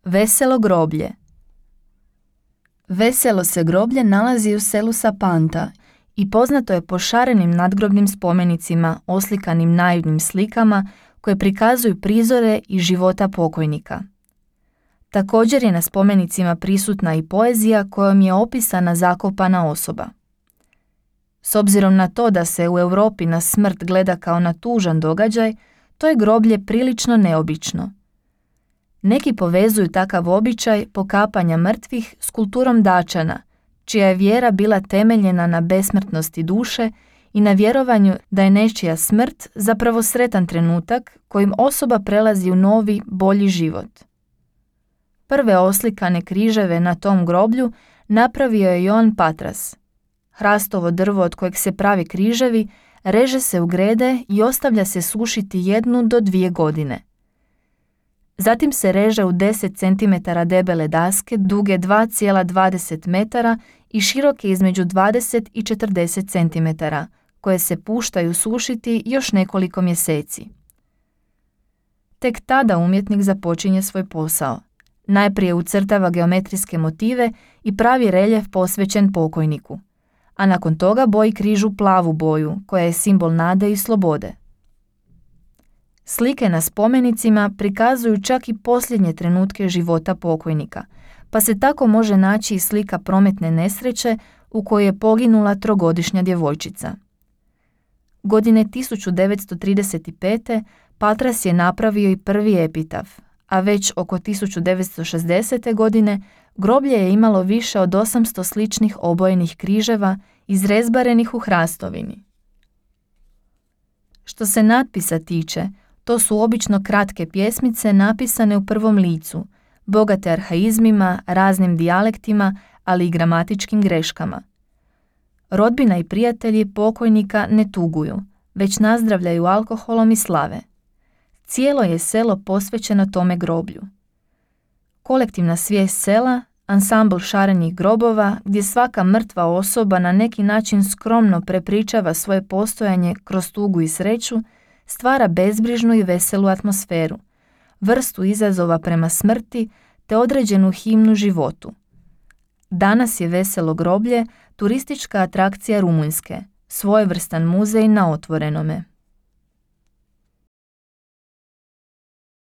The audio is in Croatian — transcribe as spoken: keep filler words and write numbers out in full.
Veselo groblje. Veselo se groblje nalazi u selu Sapanta i poznato je po šarenim nadgrobnim spomenicima oslikanim naivnim slikama koje prikazuju prizore i života pokojnika. Također je na spomenicima prisutna i poezija kojom je opisana zakopana osoba. S obzirom na to da se u Europi na smrt gleda kao na tužan događaj, to je groblje prilično neobično. Neki povezuju takav običaj pokapanja mrtvih s kulturom Dačana, čija je vjera bila temeljena na besmrtnosti duše i na vjerovanju da je nečija smrt zapravo sretan trenutak kojim osoba prelazi u novi, bolji život. Prve oslikane križeve na tom groblju napravio je Joan Patras. Hrastovo drvo od kojeg se pravi križevi reže se u grede i ostavlja se sušiti jednu do dvije godine. Zatim se reže u deset centimetara debele daske duge dva zarez dvadeset metara i široke između dvadeset i četrdeset centimetara, koje se puštaju sušiti još nekoliko mjeseci. Tek tada umjetnik započinje svoj posao. Najprije ucrtava geometrijske motive i pravi reljef posvećen pokojniku, a nakon toga boji križ u plavu boju, koja je simbol nade i slobode. Slike na spomenicima prikazuju čak i posljednje trenutke života pokojnika, pa se tako može naći i slika prometne nesreće u kojoj je poginula trogodišnja djevojčica. Godine tisuću devetsto trideset pete. Patras je napravio i prvi epitaf, a već oko tisuću devetsto šezdesete. godine groblje je imalo više od osamsto sličnih obojenih križeva izrezbarenih u hrastovini. Što se natpisa tiče, to su obično kratke pjesmice napisane u prvom licu, bogate arhaizmima, raznim dijalektima, ali i gramatičkim greškama. Rodbina i prijatelji pokojnika ne tuguju, već nazdravljaju alkoholom i slave. Cijelo je selo posvećeno tome groblju. Kolektivna svijest sela, ansambl šarenih grobova, gdje svaka mrtva osoba na neki način skromno prepričava svoje postojanje kroz tugu i sreću, stvara bezbrižnu i veselu atmosferu, vrstu izazova prema smrti te određenu himnu životu. Danas je Veselo groblje turistička atrakcija Rumunjske, svojevrstan muzej na otvorenome.